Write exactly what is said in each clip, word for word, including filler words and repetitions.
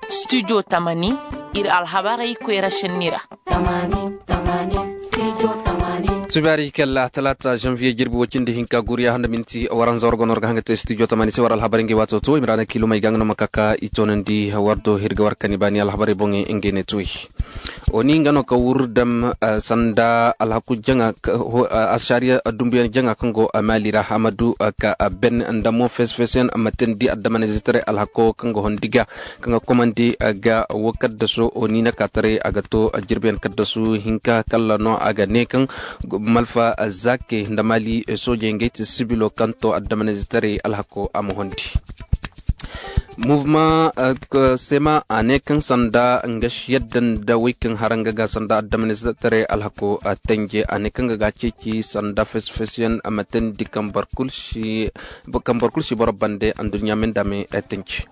Studio tamani, iri alhabarey koyra senni ra. Subaari kalla talaata janviye jirbi wacindi hinka guriya handa minti waranza wargo no war ga hanga te studio tamani se war alhabarey ngey waato to i ma ra na kiilumey ga nga no ma kaka i toonandi war do hirga war kani baani alhabarey boŋey ngey ne tuwey. Oni nga no ka wur dam sanda alhaku jaŋa. Asariya dumbuyaŋ jaŋa kaŋ go maali ra a ma du ka ben nda mo fees-feesyaŋ ma teendi addamanizitaray alhako kaŋ ga hondi ga kaŋ ga komandi ga wo kaddaso oni na ka taray a ga to jirbiyaŋ kaddasu hinka kalla no a ga ne kaŋ malfa zake nda maali soojey ngey ti sibilo kaŋ to addamanizitaray alhako a ma hondi. Muvma sema a ne kaŋ sanda nga si yadda nda wey kaŋ hara nga ga sanda addamanizitaray alhako tanje a ne kaŋ ga ga ceeci sanda fesfesyaŋ a ma teendi kambar kulu si boro bande anduɲɲa me nda me tanje.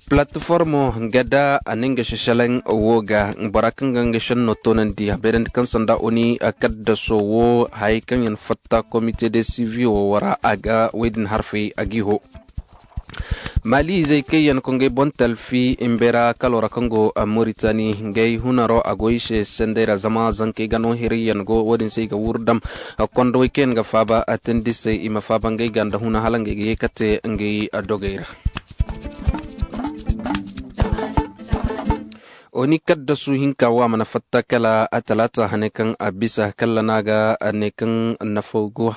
Platformo nga da a ne nga si selaŋ wo ga bora kaŋ ga nga senno toonandi a beerandi kaŋ sanda oni kaddaso wo hayey kaŋ yaŋ fatta komite de sivi wo ra a ga wey din harfey a g'i ho. Maali izey kaŋ yaŋ kongey boŋ talfi imbera kalo ra kaŋ go moritani ngey hunaro a go i se sendey ra zama zankey ga no hiray yaŋ go wo- din se i ga wuru dam. Kondowey kaŋ yaŋ ga faaba teendi se i ma faaba ngey ga nda huna hala ngey ga ye ka te ngey dogey ra. Oni kaddasu hinka wo a mana fatta kala talaata hane kaŋ a bisa kalla no a ga ne kaŋ nafa go.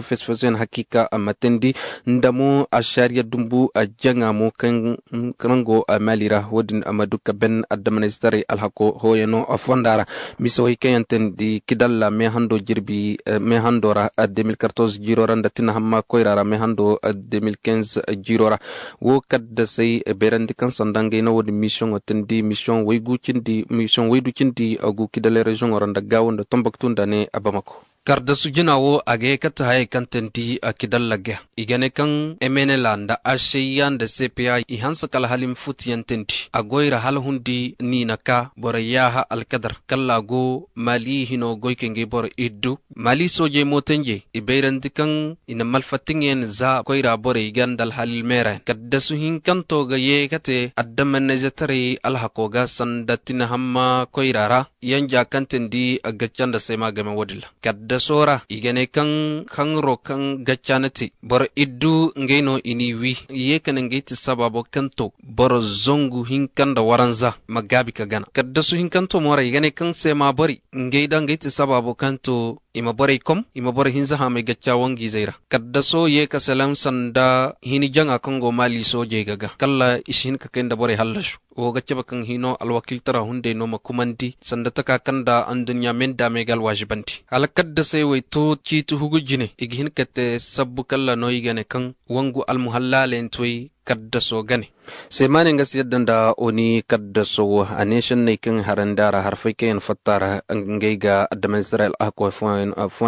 Fesfeso yaŋ hakiika a ma teendi nda mo a saariya dumbu a jaŋa mo kaŋ go maali ra wo- din a ma du ka ben addamanizitaray alhako hooyano fonda ra. Misawey kaŋ yaŋ teendi kidalla meehando jirbi meehando ra de mille quatorze jiiro ra nda tinahamma koyra ra meehando de mille quinze jiiro ra. Wo kaddasey beerandi kaŋ sanda ngey no wo- din misiyoŋo teendi misiyoŋ waygu cindi misiyoŋ waydu cindi a gu kidalay reziyoŋo ra nda gaawo nda tombaktu nda ne a bamako. Kardasu jina wo a ga ye katta hayey kaŋ teendi a kidalla ga i ga ne kaŋ emenela nda aseya nda sepeya i hanse kala hala i ma futu yaŋ teendi a goy ra hala hundi niina ka borey yaaha alkadar kalla a go maali hino goy ka ngey boro iddu. Maali soojey mootanjey i bayrandi kaŋ i na malfattaŋ yaŋ za koyra borey ga nda alhaliil meera yaŋ kaddasu hinkanto ga ye ka te addamanayzetaray alhako ga sanda tinahamma koyra ra. Yanja kaŋ teendi gacca nda seema game wo- din ra kaddaso ra i ga ne kaŋ kaŋro kaŋ gacca na te boro iddu ngey no i n'i wi i ye ka ne ngey ti sabaabo kaŋ to boro zangu hinka nda waranza ma gaabi ka gana kaddasu hinkanto mo ra i ga ne kaŋ seema borey ngey da ngey ti sabaabo kaŋ to i ma borey kom i ma borey hinza haamay gacca wangu izey ra. Kaddaso ye ka salaŋ sanda hini jaŋa kaŋ go maali soojey ga ga kala i si hin ka kay nda borey hallasu. Wo ga cabe kaŋ hino alwakiiltara hunday no ma kumandi sanda taka kaŋ nda anduɲɲa me nda me ga alwaazibandi hala kaddasey wo ay to ciiti hugu jine i ga hin ka te sabbu kala no i ga ne kaŋ wangu almuhallaaley nti way kaddaso gane. Seemaaney nga si yadda nda oni kaddaso wo a ne senney kaŋ harandi a ra harfey kaŋ yaŋ fatta ra ngey ga adama israel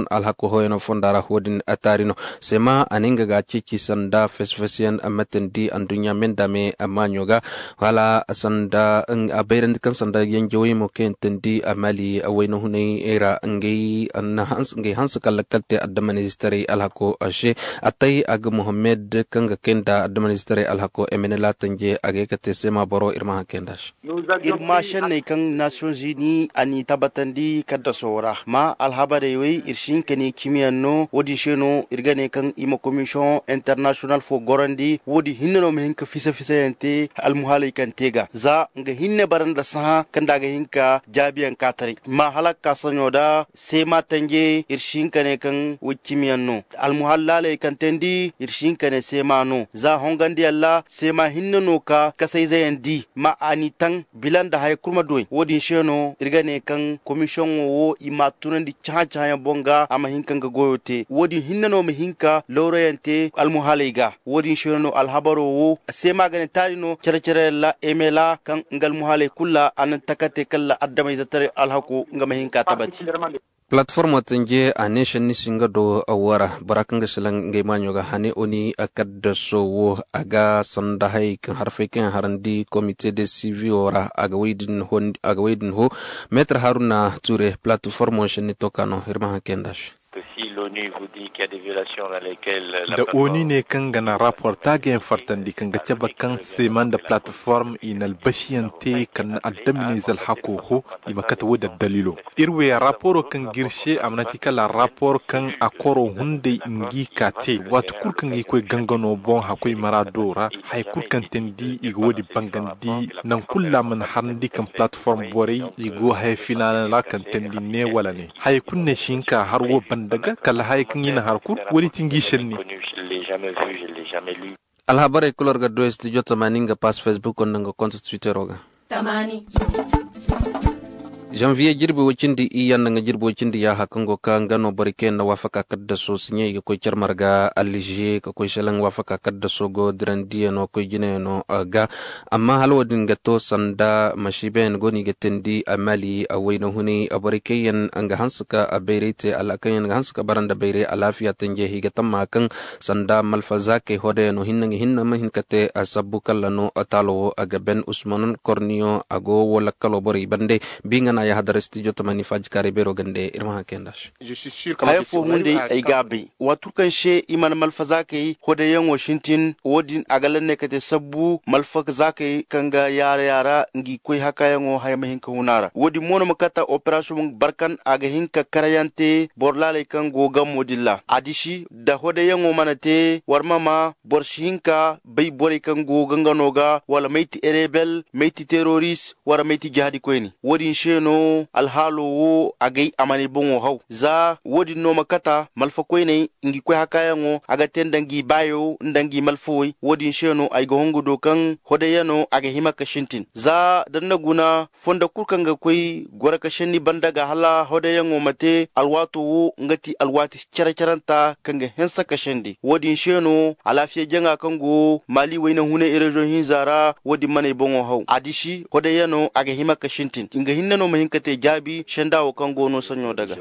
alhako hooyano fonda ra wo- din taari no. Seema a ne nga ga a ceeci sanda fesfes yaŋ matandi anduɲɲa me nda me maaɲo ga hala sanda a bayrandi kaŋ sanda yanjawey mo kaŋ yaŋ tandi a maali wayna hunay ra ngey hanse kala kala te adama israel alhako se. A tay a ga mohammed kaŋ ga kay nda adama israel alhako emene laatanje a ga ye ka te seema boro iri ma haŋ kay nda se. Iri ma senney kaŋ nations unis a n'i tabbatandi kaddaso ra ma alhabarey wey iri si hin ka ne cimiyaŋ no wo- din se no iri ga ne kaŋ i ma commission international fo gorandi wo- din hinne no ma hin ka fisa fisa yaŋ te almuhaaley kaŋ te ga za nga hinne bara nda sahã kaŋ nda a ga hin ka jaabiyaŋ ka taray ma hala ga ka saɲo da seema tanje iri si hin ka ne kaŋ way cimiyaŋ no. Almuhaalaaley kaŋ teendi iri si hin ka ne seema no za hongandiyaŋ ra seema hinne no ka kasayzeyaŋ di ma a n'i taŋ bila nda haya kulu ma duw'ey wo- din se no iri ga ne kaŋ komisiyoŋo wo i m'a tunandi cahã-cahãyaŋ boŋ ga a ma hin ka nga goyo te wo- din hinne no ma hin ka lawrayaŋ te almuhaaley ga. Wo- din se no alhabaro wo seema ga ne taali no care-careyaŋ ra emela kaŋ nga almuhaaley kulu ra a na taka te kala adameyzetaray alhako nga ma hin ka tabati. Palatformo tanje a ne senni si nga do wara bora kaŋ ga silaŋ ngey maaɲo ga hane oni kaddaso wo a ga sanda hayey kaŋ harfey kaŋ yaŋ harandi komite de sivi wo ra a ga wey din ho meetar haruna ture palatformo senni to ka no iri ma haŋ kay nda se. Da onu ne kaŋ ga naŋ rapor taagayaŋ fartandi kaŋ ga cabe kaŋ seema nda palataform i na albasiyaŋ te kaŋ na addaminayze alhako ho, i ma kate wo- din addaliilo. Iri wo ya raporo kaŋ ga iri se a mana ti kala rapor kaŋ a koro hunday ngi ka te waati kulu kaŋ ga i koy gangano boŋ hakoy maraado ra. Haya kulu kaŋ teendi i ga wo- din bangandi. Nangu kulu ra a mana harandi kaŋ palataform borey i go haya filaana ra kaŋ teendi ne wala ne. Haya kulu ne si hin ka har wo banda ga kala haya kaŋ i na har kulu wo- din ti ngi senni. Alhabarey kulu war ga du studio tamaani nga pass facebook nda nga konto twittero ga. Janvier jirbi wo- cindi iyya nda nga jirbi wo- cindi yaaha kaŋ go ka nga no borey kaŋ yaŋ na waafaka kaddaso siɲey ga koy care marga allize ka koy selaŋ waafaka kaddaso go dirandiyaŋo koy jinayano ga. Amma hala wo- din ga to sanda masiibayaŋ go no i ga teendi a mali a wayna hunay a borey kaŋ yaŋ ga hanse ka a bayray te kaŋ yaŋ ga hanse ka bara nda bayray alaafiya tanjey i ga tamma kaŋ sanda malfa zaakey hodayano hinne nga hinne ma hin ka te a sabbu kala no taalo wo a ga ben usman korniyo a go wo lakkalo borey bande. Bi nga no a yahadar studio tamani faaji kaaray beero gande iri ma haŋ kayanda se. Haya fo hunday ay ga a bay waati kulu kaŋ se i mana malfa zaakey hodayaŋo sintin wo- din a ga lanney ka te sabbu malfa zaakey kaŋ ga yaara yaara ngi koy hakayaŋo haya ma hin ka hun a ra wo- din mo no ma kata operasiyoŋ barkan a ga hin ka karayaŋ te boro laaley kaŋ go gammo din ra a disi nda hodayaŋo mana te war ma ma boro si hin ka bay borey kaŋ go gangano ga wala mayti erebel mayti teroris wala mayti jahadi koyne wo- din se no alhaalo wo a gay a mana ay boŋo haw za wo- din no ma kata malfa koyney ngi koy hakayaŋo a ga te nda ngi baayo nda ngi malfawey wo- din se no ay ga hongu do kaŋ hodayano a ga hima ka sintin za da ni na guna fondo kulu kaŋ ga koy goro ka senni banda ga hala hodayyaŋo ma te alwaato wo nga ti alwaati care-caranta kaŋ ga hanse ka sendi wo- din se no alaafiya jaŋa kaŋ go maali wayna hunay reziyoŋ hinza ra wo- din man'ay boŋo haw a disi hodayyano a ga hima ka sintin nga hinne no ma hin ka te jaabi senda wo kaŋ go no saɲɲo daga.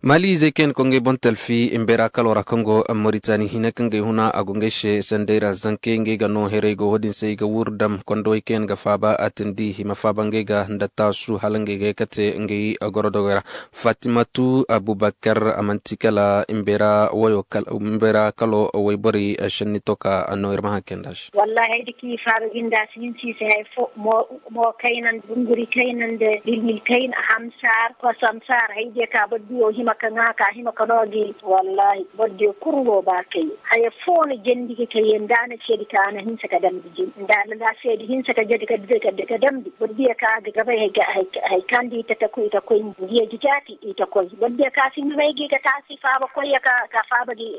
Maali izey kaŋ yaŋ ga koy ngey boŋ talfi mbeera kalo ra kaŋ go moritani hina kaŋ ga ay huna a go ngey se sanday ra zankey ngey ga no heray go wo- din se i ga wuru dam kondowey kaŋ yaŋ ga faaba a tindi i ma faaba ngey ga nda taasu hala ngey ga ye ka te ngey gorodogoy ra. Fatimatu abubakar a manti kala mbeera wayo mbeera kalo wayborey senni to ka no iri ma haŋ kay nd'a se. Wallaahi ay da kaŋ i faaba jinda si hin si i se hari fo mo kaynandi bunguri kaynandi dilmil kayna hamsaar kosam saar hay diya ka boro diyo hima ka ŋaa ka hima ka no gi wallaahi boro diyo kulu go ba kay. Haya fo no jandi ga kay nda a na seedi ka a na hinsa ka damndi jin nda a na seedi hinsa ka jadi ka damndi boro diya ka ga gabay hay kaŋ di ita taku ita koy ngiya jijaati ita koy boro diya ka si himay gi ga ka si faaba koy ya ka faaba gi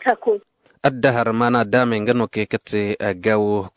ka koy. Addahar maana daamey nga no kay ka te gaawo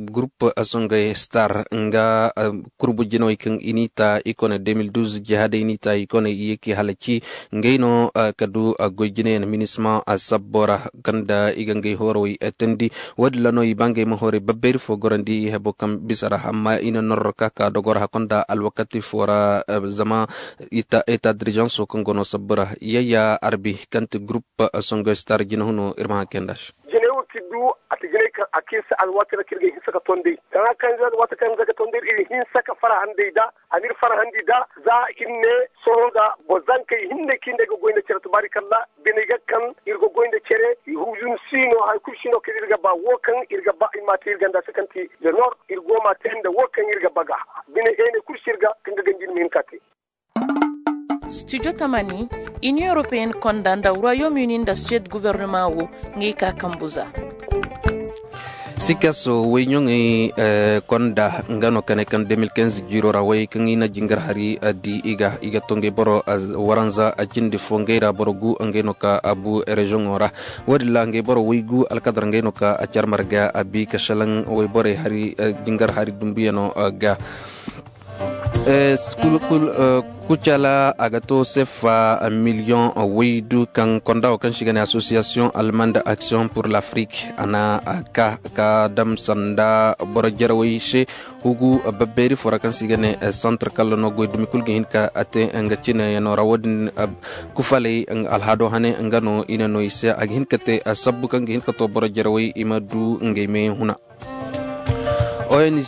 gurup songey star nga kurbu jinawey kaŋ i n'i ta i kone deux mille douze jihaaday n'i ta i kone i ye k'i halaci. Ngey no ka du goy jinayaŋ minisma sabbo ra kaŋ nda i ga ngey hoorowey teendi. Wo- din ra no i ba ngey ma hoorey babbayri fo gorandi i hebo kaŋ bisa ra amma i na norro ka ka dogor hakko nda alwakati fo ra zama eta dirijanso kaŋ go no sabbo ra yayya arbi kaŋ ti gurup songoy star jina huno iri ma haŋ kay nd'a se. Jinay wo k'i du a ti jinay kaŋ a k'iri se alwaati ra kaŋ iri ga hinsa ka tondey kaŋ a kaŋ iri alwaati kaŋ iri ga tondey iri hinsa ka farhandi nd'a a n'iri farhandi nd'a za iri ne sohõ ga boro zankey hinne kaŋ iri ga goy nda care tubaari kalla biney ga kaŋ iri ga goy nda care. Huzun si no hari kulu si no kaŋ iri ga ba wo kaŋ iri ga ba i ma a te iri ganda se kaŋ ti le nord iri go ma a te nda wo kaŋ iri ga ba ga bine heene kulu si iri ga kaŋ ga ganji iri ma hin ka te. Studio tamani union européenne konda nda royaume uni nda suede gouvernement wo ngey ka kambu za. Sikaso wayɲoŋey konda nga no kane kaŋ deux mille quinze jiiro ra way kaŋ i na jingar hari di i ga i ga to ngey boro waranza a cindi fo ngey ra boro gu ngey no ka a bu reziyoŋo ra. Wo- din ra ngey boro waygu alkadar ngey no ka a care marga a bi ka salaŋ wayborey hari jingar hari dumbuyano ga. Kucala a ga to seffa miliyoŋ waydu kaŋ konda wo kaŋ se i ga ne association allemande action pour l'afrique a na ka ka dam sanda boro jarawey se. Hugu babbeeri fo ra kaŋ se i ga ne centre kala no goy dumi kulu ga hin ka te nga cine yaŋo ra wo- din kufaley alhaado hane nga no i na no i se a ga hin ka te sabbu kaŋ ga hin ka to boro jarawey i ma du ngey me huna. Ong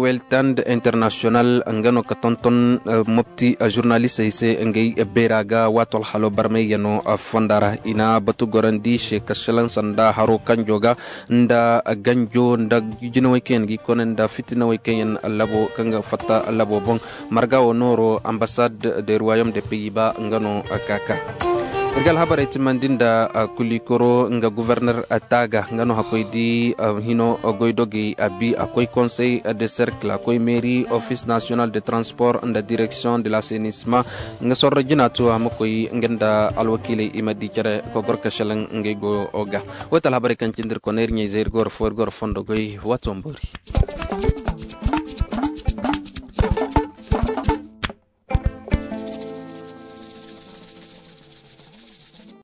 weltand international nga no ka tonton mopti zurnalistey se ngey beera ga waato alhalo barmay yano fonda ra i na batu gorandi se ka salaŋ sanda haro kanjo ga nda ganjo nda jinawey kaŋ yaŋ ga i kone nda fitinawey kaŋ yaŋ labo kaŋ ga fatta labo boŋ. Marga wo nooro ambasad de ruwayom de peyi ba nga no ka ka. Iri ga alhabarey timandi nda kulikoro nga guverner taaga nga no hakkoy di hino goydogey a bi a koy konsey de serkil a koy meri office national de transport nda direction de lasenisma. Nga sorro jina tu a ma koy nga nda alwakiiley i ma di care kogor ka selaŋ ngey go ga. Wate alhabarey kaŋ cindi iri kone iri ɲey zey iri goro fo iri goro fondo goy wato mboori.